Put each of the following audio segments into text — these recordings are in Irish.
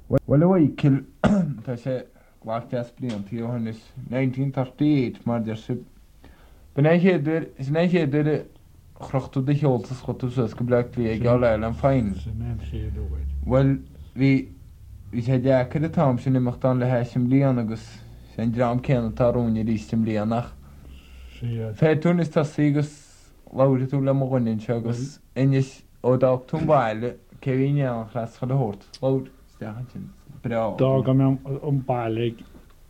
Bhuel, a Mhichíl, tá sé glac deas bliantaí ó shin, is 1938 mar deir sibh. B'in é an chéad uair, sin é an chéad uair a chroch tú do sheolta is chuaigh tú suas go Bleá Cliath ag All Ireland Final. Sin é an chéad uair. Bhuel, bhí, bhí sé deacair an t-am sin imeacht ann le hais i mbliana agus sé an dream céanna atá romhainn arís i mbliana ach Sea. féadfaidh tú anois tosaí agus labharfaidh tú le mo dhuine anseo agus inis ó d'fhág tú an baile cé bhí in éineacht leat chuile shórt. Labhair isteach ansin. Breá. D'fhág mé an baile ag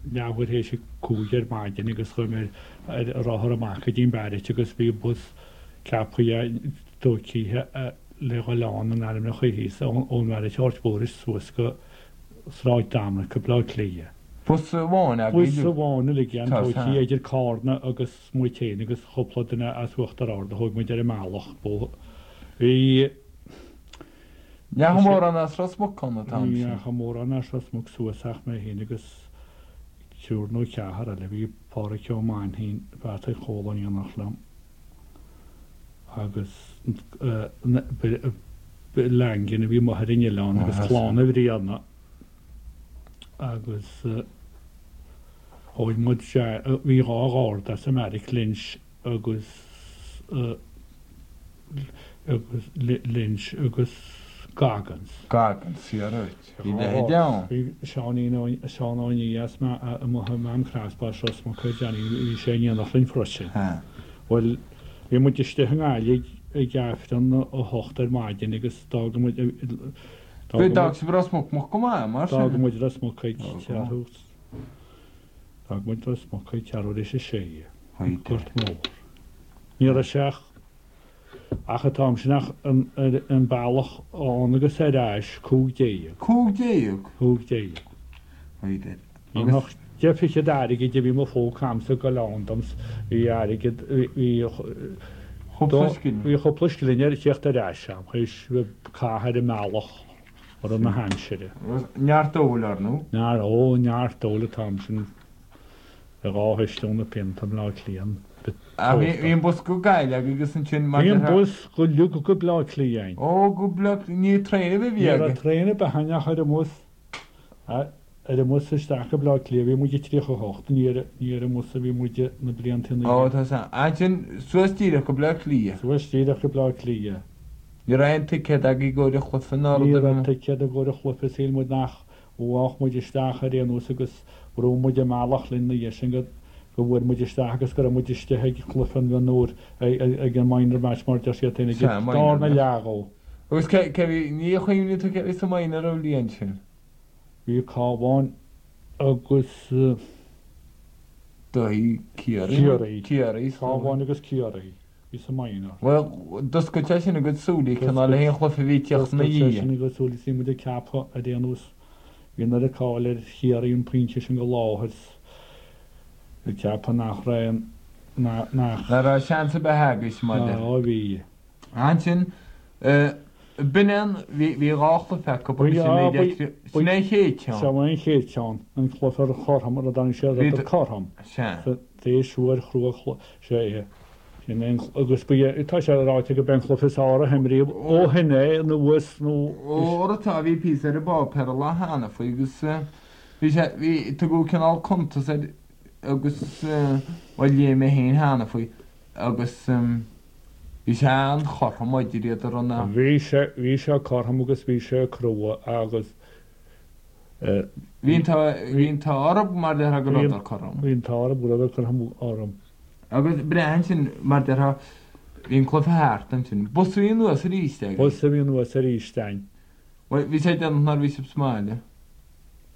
leathuair théis a 5 ar maidin agus chuaigh mé ar rothar amach go dtí an beairic agus bhí bus ceaptha tóigthe le dhul ann in ainm a choimhthíos ón bheairic Áird Mhór suas go Sráid Dominic go Bleá Cliath. Bus amháin agaibh? Bus amháin uilig ann tóigthe idir Cárna agus muid féin agus chúpla duine as Uachtar Ard a thóg muid ar an mbealach. Bhí. Ní dheachaigh mórán as Ros Muc ann an t-am Ní sin. dheachaigh mórán as Ros Muc suas ach mé féin agus triúr nó ceathrar eile. Bhí Pádhraic Ó Mainchín, Peataí Chóil in éineacht liom agus Langan a bhí amuigh ar an oileán agus Clann Uí Bhriana agus. Thóig muid, bhí 2 gharda as an mbeairic, Lynch agus agus Lynch agus Goggins. Goggins, sea right. Bhí leithéid ann. Bhí Seáinín Ó, Seán Ó Nia as amuigh i Mám Craspach as Ros Muc ar Johnny, bhí sé in éineacht linn freisin. Bhuel, bhí muid istigh i nGaillimh ag Aifreann a hocht ar maidin agus d'fhág muid, d'fhág sibh Ros Muc moch go maith, mar sin. D'fhág muid Ros Muc ag ceathrú. D'fhág muid Ros Muc ag ceathrú tar éis a sé, an Gort Mór. Ní raibh sé ach, ach an t-am sin ach an bealach ann agus ar ais, 15. 15? 15. Haidh. Ní ach deich fichead airgid a bhí mo phóca a'msa ag dul ann dom, bhí airgead, bhí, Chúpla scilling. bhí chúpla scilling ar theacht ar ais a'm, théis cath ar an mbealach. Rud na haimsire. Neart óil, ar ndú. Neart, ó, neart óil an t-am sin. Bhí 2 thuisliún na pionta i mBleá Cliath. Ach bhí an bus go Gaillimh agus ansin mar. Bhí an bus go uilig go Bleá Cliath againn. Ó, go Bleá Cliath, ní traein ar bith a bhí agaibh. Ní raibh traein ar bith againn ach ar an mbus. Ar an mbus isteach go Bleá Cliath bhí muid i 38, ní ar ní ar an mbus a bhí muid na blianta ina Ó, tá san. Ansin suas díreach go Bleá Cliath. Suas díreach go Bleá Cliath. Ní raibh aon ticéad agaibh i gcomhair an chluiche ná rud Ní ar raibh bith. ticéad i gcomhair an chluiche, shíl muid nach bhfaigheadh muid isteach ar aon nós agus bhrú muid an bealach linn na dhiaidh sin go go bhfuair muid isteach agus go raibh muid istigh ag cluiche an mhionúir ag an minor match mar a deir siad féin ag Sea, an minor darna match. leath dhó. Agus cé cé bhí, ní chuimhníonn tú cé bhí sa minor an bhliain sin? Bhí Cabhán agus. Daithí Ciarraí. Ciarraí. Ciarraí. Cabhán agus Ciarraí. Bhí sa minor. Bhuel, d'oscail sé sin a gcuid súilí, cineál le haghaidh an chluiche a bhí ag tíocht ina D'oscail sé dhiaidh. sin a gcuid súilí, bhí muid ag ceapadh ar aon nós, bhí an oiread cáil ar Chiarraí an pointe sin go láthair, ag ceapadh nach raibh aon, nach. Nach raibh seans ar bith agaibh, mar Ná bhí. Ansin, b'in é an, bhí, bhí 2 chluiche acu agus sin 19, sin é an chéad cheann. Sin é an chéad cheann, an cluiche ar chothrom, ar a dtáinig sé ar cothrom. Sea. Théis uair chrua, sea é. Sin é an, agus ba é, tá sé ráite go b'é an cluiche is fearr a himríodh ó shin é anuas nó. Ó, tá, bhí píosa ar an bpáipéar an lá cheana faoi agus bhí sé, bhí, tugadh cineál cuntas air agus, bhuel léigh mé féin cheana faoi agus bhí sé an-chothrom idir iad a rinne. Bhí sé, bhí sé cothrom agus bhí sé crua agus. Bhí an t-ádh orthu mar déarfá go rabhadar cothrom. Bhí an t-ádh orthu go rabhadar cothrom orm. Agus breá ansin mar déarfá bhí an cluiche thart ansin. Bus a bhí anuas arís agaibh. Bus a bhí anuas arís againn. Bhuel bhí sé déanach nuair a bhí sibh sa mbaile.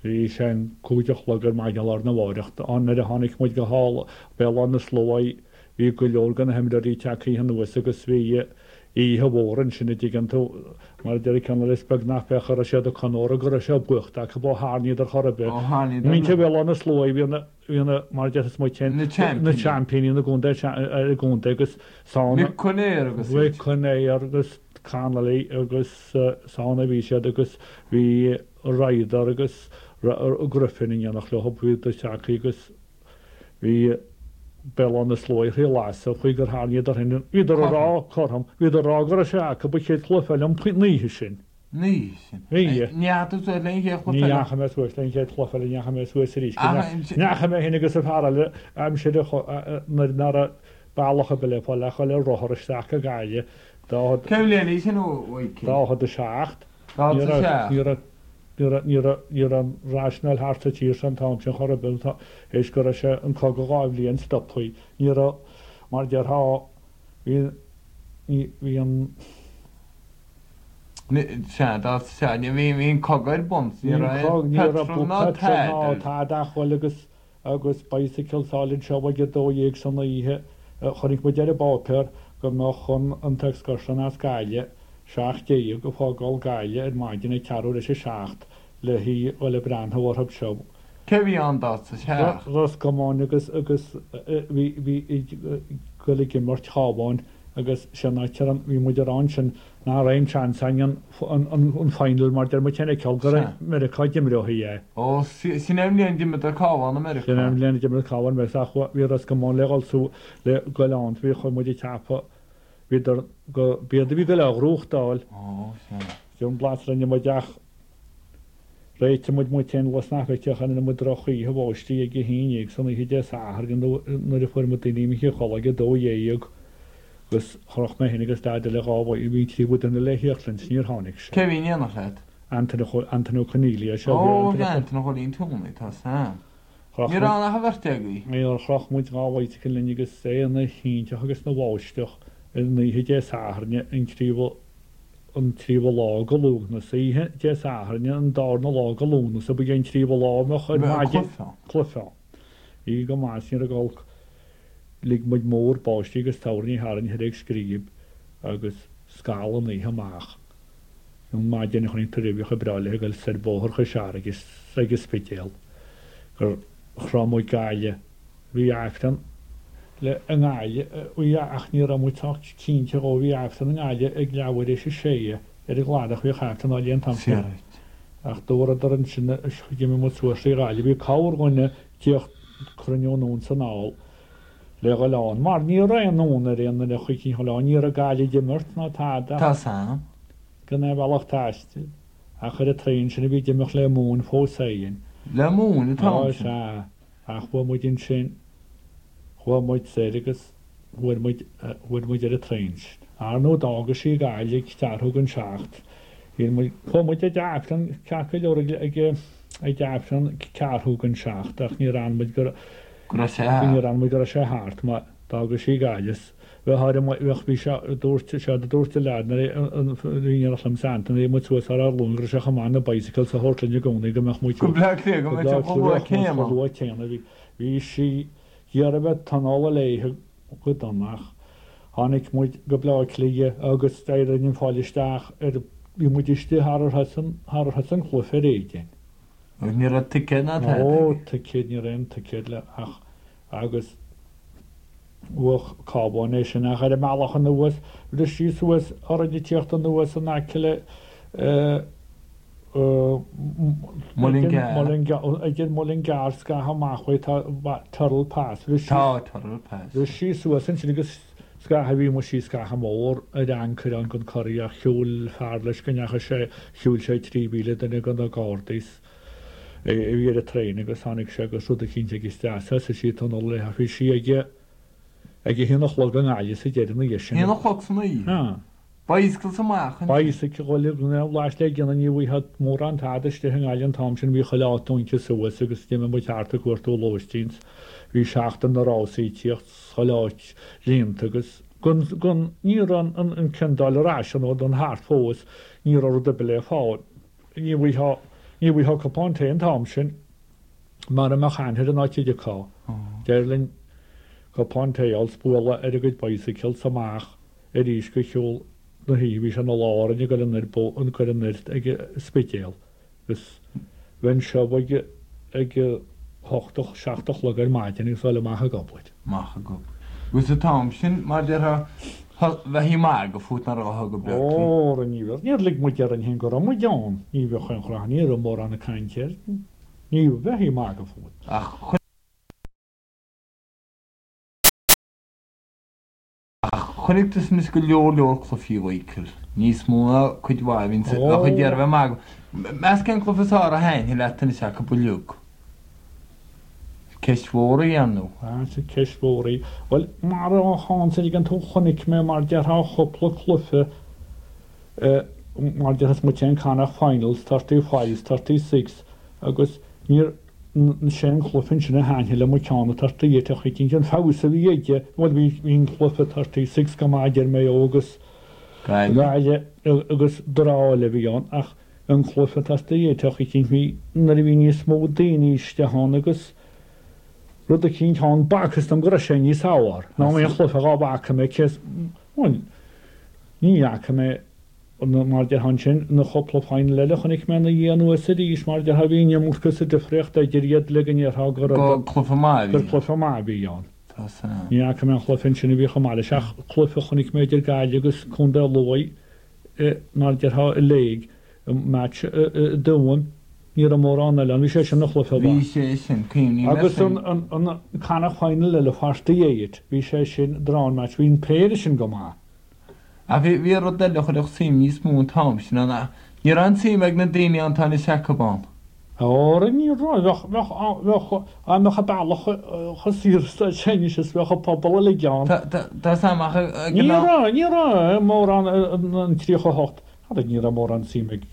Bhí sé an 5 a chlog ar maidin lá arna mháireach nuair a tháinig muid go halla Béal Átha na Sluaighe bhí go leor de na himreoirí tagtha anuas agus bhí oíche mhór ansin a dtuigeann tú, mar a deir an ceann eile is beag nach b'é go raibh siad ag comóradh go raibh sé buachta acu ó tharraingíodar chor ar bith. Ó tharraingíodar Muintir Bhéal Átha na Sluaighe bhí na, bhí na, mar a déarfas muid féin, Na seaimpíní. na seaimpíní na gcontae, ar an gcontae agus san. Mick Conaire agus Mick Conaire agus Connolly agus san a bhí siad agus bhí Ryder agus Griffin in éineacht leo, bhíodar tagtha agus. Bhí Béal Átha na Sluaighe thrí lasadh faoi gur tharraingíodar féin. Bhíodar ag rá, cothrom, bhíodar ag rá go raibh sé acu ba chéad chluiche eile an oíche sin. Ní sin. Bhí. Ní fhaca tú suas le an chéad chluiche Ní eile? dheachaigh mé suas le an chéad chluiche eile, ní dheachaigh mé suas arís. Go Ach an. ndeachaigh mé féin agus an fear eile aimsir nuair nach raibh bealach ar bith le fáil ach dhul ar rothar isteach go Gaillimh. Cén bhliain í sin a Mhaidhcil? 47. 47. Ní raibh, ní raibh, ní raibh, ní raibh an rásanáil thart sa tír seo an t-am sin chor ar bith, théis go raibh sé, an cogadh 2 bhliain stopthaí. Ní raibh, mar déarfá, bhí, ní, bhí an. Sea, dá, sea, ní, bhí, bhí an cogadh ar bun, ní raibh petrol ná tada. Ná tada ach dhul agus, agus bicycle a fháil anseo ag a 12 san oíche. Chonaic muid ar an bpáipéar go mbeadh an, an t-excursion as Gaillimh, 17 ag fágáil Gaillimh ar maidin ag ceathrú tar éis a seacht le hí dhul ag breathnú orthu seo. Cé a bhí ann 47? Ros Comáin agus, agus bhí, bhí ag dul ag imirt Chabháin. Agus sin áit ar bhí muid a rá ansin nach raibh aon seans againn an final mar deir muid féin a fheiceáil go raibh Meiriceá d'imreoidh é. Ó, sin é an bhliain d'imríodar Cabhán i Meiriceá. Sin é an bhliain a d'imir Cabhán i Meiriceá ach bhí Ros Comáin le dhul su le goil ann bhí chuaigh muid ag ceapadh bhíodar go b'iad a bhí ag goil á ghnóthachtáil. Ó, sea. Sin an blas a rinne muid ach Réitigh muid muid féin le sna feicteach rinne muid drochoíche bháistí ag a haon dhéag san oíche Dé Sathairn nuair a fuair muid daoine imithe a chodladh ag a 12 agus chroch mé féin agus leaid eile dhá bhí an tríomhadh duine le thíocht linn 's níor tháinig sé. Cé bhí in éineacht leat? Antaine Antaine Ó Conaola é seo Ó bhí Antaine Chóilín Toomey, tá Sam. Chroch Ní raibh ann ach an bheirt agaibh. Níor chroch muid dhá bicycle linn agus é ina thintreach agus ina bháisteach ar an oíche Dé Sathairn an tríomhadh an tríomhadh lá go Lúnasa, oíche Dé Sathairn an darna lá go Lúnasa, ba é an tríomhadh lá a mbeadh ar maidin cluiche ann. Bhí go maith is ní raibh olc. Lig muid mór báistí agus toirní tharainn thoir ag Scríb agus scal an oíche amach. An maidin a chonaic tú roimhe chomh breá léi ag dul soir Bóthar Chois Fharraige ag an Spidéal gur shroich muid Gaillimh. Bhí Aifreann le i nGaillimh bhí ach ní raibh muid sách cinnte dhó bhí Aifreann i nGaillimh ag leathuair éis a sé ar an gCladach bhíodh Aifreann á léamh an t-am sin ach dúradar ansin d'imigh muid suas trí Ghaillimh bhí corrdhuine ag tíocht cruinniú anonn 's anall le dhul ann mar ní raibh aon fhonn ar aon duine chuici dhul ann ní raibh Gaillimh ag imirt ná tada Tá Sam. gan aon bhealach taistil ach ar an traein sin a bhí ag imeacht le Móin fós féin. Le Móin an t-am sin. Á sea. Ach chuaigh muid ansin, chuaigh muid soir agus fuair muid, fuair muid ar an traein sin. Ar ndóigh d'fhága sí Gaillimh ag ceathrú don seacht. Shíl muid, chuaigh muid ag Aifreann ceart go leor ag, ag, ag Aifreann ceathrú don seacht ach níor fhan muid go, Go raibh sé thart. níor fhan muid go raibh sé thart mar d'fhága sí Gaillimh. Bheadh ar an bheadh bhí sé dúirt sé dúirt an leaid nuair a bhí in éineacht liom 's Antaine bhí muid suas ar ár ghlúin go raibh sé chomh maith na bicycles a thabhairt linn i gcónaí go mbeadh muid Go Bleá Cliath go mbeadh sé chomh luath céanna. chomh luath céanna bhí bhí sí ag iarraidh bheith tionóladh léithe go dona ach tháinig muid go Bleá Cliath agus d'éirigh linn fáil isteach ar bhí muid istigh thar ar thosaigh an thar ar thosaigh an cluiche ar éigin. Agus ní raibh ticéad ná tada Ó aige. ticéad ní raibh aon ticéad le ach agus Bhuaigh Cabhán é sin ach ar an mbealach anuas, bhris sí suas orainn ag tíocht anuas in aice le Idir Mullingar scaitheamh amach uaidh tá Tyrrell Pass. Bhris sí Tá Tyrrell Pass. Bhris sí suas ansin agus scaitheamh bhí muid sí scaitheamh mór ar ancaire ann gon Curragh ach shiúil fear leis go ndeachaigh sé shiúil sé 3,000 duine go na Gardaí a bhí ar an traein agus tháinig sé agus rud eicínt aige isteach thosaigh sí ag tionól léi ach bhí sí ag ag a haon a chlog i nGaillimh sa deireadh ina dhiaidh sin. Haon a chlog san oíche? Sea. Bicycles amach ansin. Bicycle chuile dhuine lais le déanamh ní bhfaighfeá mórán tada istigh i nGaillimh an t-am sin bhí chuile áit dúnta suas agus d'imigh muid thart ag cuartú lóistín 's bhí seachtain na rásaí ag tíocht 's chuile áit líonta agus gan gan ní raibh an an ciondáil ar ais an an thart fós ní raibh rud ar bith le fáil. Ní bhfaighfeá, ní bhfaighfeá cupán tae an t-am sin mara mbeadh aithne ar an áit a dtiocfá. D'éirigh linn cupán tae a fháil 's bualadh ar a gcuid bicycles amach arís go shiúl na hoíche. Bhí sé ina lá orainn ag dul anoir ag dul anoir ag an Spidéal agus bheinn seo ag ag a hocht a seacht a chlog ar maidin agus dul amach ag obair. Amach ag obair. Agus an t-am sin, mar a déarfá, bheifí ag magadh fút nach raghfá go Bleá Cliath. Óra, ní bheadh. Níor lig muid orainn féin go raibh muid ann. Ní bheadh aon chruth, ní raibh mórán cainte air. Ní bheifí ag magadh fút. Ach Chonaic tusa anois go leor leor cluichí, a Mhichael. Níos mó ná cuid mhaith a bhíonn sa bheadh ag iarraidh bheith maith agat. Meas cén cluiche is fearr a thaitnigh leat anois acu uilig? Ceist mhór í, ar ndóigh. Ah, sea, ceist mhór í. Bhuel, mar a tháinig tú, chonaic mé mar déarfá cúpla cluiche, mar déarfá muid an Connacht Finals, 35, 36, agus níor, sé an cluiche ansin a thaitnigh liom an ceann 38 ach eicínt an feabhas a bhí aige, bhuel bhí, bhí an cluiche 36 go maith idir Maigh Eo agus Gaillimh agus draw eile a bhí ann ach an cluiche 38 ach eicínt bhí, nuair a bhí níos mó daoine isteach ann agus rud eicínt ann, b'fhacthas dom go raibh sé níos fearr ná aon chluiche dhá bhfaca mé cé is, bhuel ní fhaca mé Mar déarfá ansin, na cúpla final eile a chonaic mé ina dhiaidh anuas arís, mar déarfá bhí an iomarca sa difríocht idir iad le go ndéarfá go raibh Gur cluiche maith a bhí gur cluiche maith a bhí ann. Tá san. Ní fhaca mé an chluiche ansin a bhí chomh maith leis ach cluiche a chonaic mé idir Gaillimh agus Contae Lú, mar déarfá i léig, match i dTuaim, ní raibh mórán eile ann, bhí sé sin ina chluiche Bhí mhaith. sé sin, cuimhním air Agus sin. an an Connacht final eile, 48, bhí sé sin drawn match, bhí an péire sin go maith. Ach bhí, bhí rud eile a chuirfeadh suim níos mó an t-am sin ann ach ní raibh an tsuim ag na daoine ann atá anois acu ann. Óra ní raibh, bheadh, bheadh, bheadh, dá mbeadh an bealach chomh saor is atá sé anois is bheadh an pobal uilig ann. Tá, tá, tá 's a'm ach ag an Ní am. raibh, ní raibh mórán an 38, ara ní raibh mórán suim ag,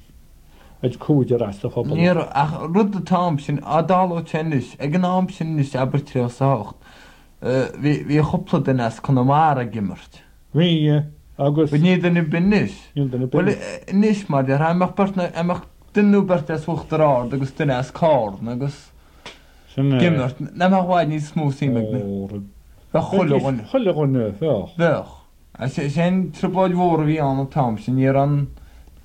ag cúigear as an phobal. Ní raibh, ach rud an t-am sin, á dtarlódh sé anois, ag an am sin anois, abair 38, bhí, bhí cúpla duine as Conamara ag imirt. Bhí, agus. Bhuel, níl duine ar bith anois. Níl duine ar bith Bhuel, anois, mar déarfá, an mbeadh beirt, an mbeadh duine nó beirt as Uachtar Ard agus duine as Carna agus. Sin é. Ag imirt, nach mbeadh i bhfad níos mó suim ag na. Óra. Bheadh chuile dhuine. Chuile dhuine, bheadh. Bheadh. Is é an trioblóid mhór a bhí ann an t-am sin, ní raibh an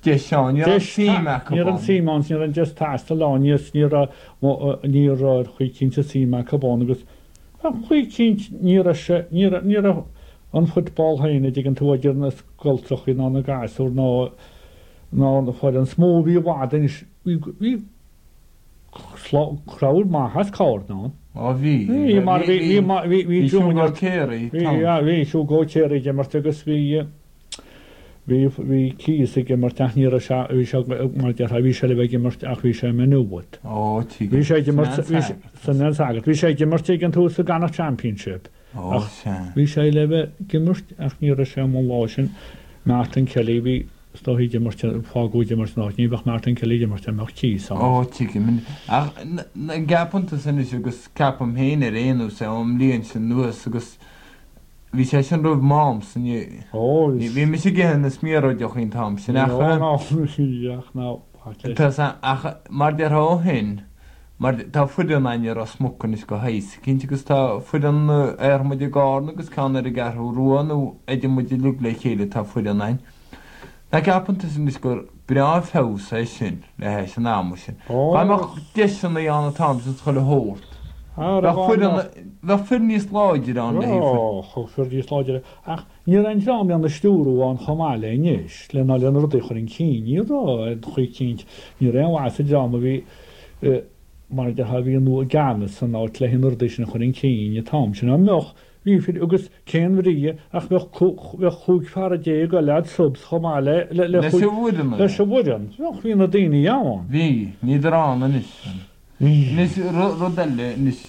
deis ann, ní raibh an suim acu ann. Ní raibh an suim ann, ní raibh an deis taistil ann, ní raibh, ní raibh ar chaoi cinnte suim acu ann agus Ar chaoi eicínt ní raibh sé, ní raibh, ní raibh an football féin a' dtuigeann tú idir na scoltrachaí ná na gasúir ná, ná na foireann is mó a bhí i bhfad anois, bhí, bhí slá, crowd maith as Carna ann. Ó bhí, Bhí mar bhí, bhí, bhí, bhí bhí Siúg Ó Céaraí, bhí, yeah, bhí Siúg Ó Céaraí ag imirt agus bhí, Bhí, bhí Keys ag imirt ach ní raibh sé, bhí sé, mar a déarfá, bhí sé le bheith ag imirt ach bhí sé i Maigh Nuad. Ó, tuigim. Bhí sé ag imirt, Sin bhí sé, an sin an sagart. Bhí sé ag imirt ag an tús sa gConnacht Championship Ó, ach sea. bhí sé le bheith ag imirt ach ní raibh sé amuigh an lá sin. Martin Kelly, bhí, is dóichí ag imirt, fágadh ag imirt ina áit, ní bheadh Martin Kelly ag imirt dá mbeadh Keys ann. Ó, tuigim. Ach, an gceapann tusa anois agus ceapaim féin ar aon nós é ón mbliain sin anuas agus Bhí sé sin roimh m'amsa, ní, bhí mise ag ithe na smiaróideacha an t-am sin ach, tá, ach mar déarfá ó shin, mar tá foireann againn i Ros Muc anois de shaghas eicínt agus tá foireann ar muid i gCarna agus ceann ar an gCeathrú Rua nó idir muid uilig le chéile tá foireann againn. Nach gceapann tusa anois gur breá an feabhas é sin le hais an ama sin? Dá mbeadh deiseanna ann an t-am sin chuile shórt, bheadh foireann, bheadh fir níos láidre ann le haghaidh foireann. Bheadh fir níos láidre, ach ní raibh an dream lena stiúrú ann chomh maith le anois, le ná le na rudaí a chur chun cinn. Ní raibh, ar chaoi eicínt, ní raibh aon mhaith sa dream a bhí, mar a déarfá, a bhí i gceannas san áit le na rudaí sin a chur chun cinn an t-am sin. Dá mbeadh, Bhí fir agus cén bhrí ach bheadh bheadh 15 fear eile ad subs chomh maith le le Leis an bhfoireann. leis an bhfoireann. Bheadh bhí na daoine ann. Bhí. Níltear ann anois. Anois rud eile anois.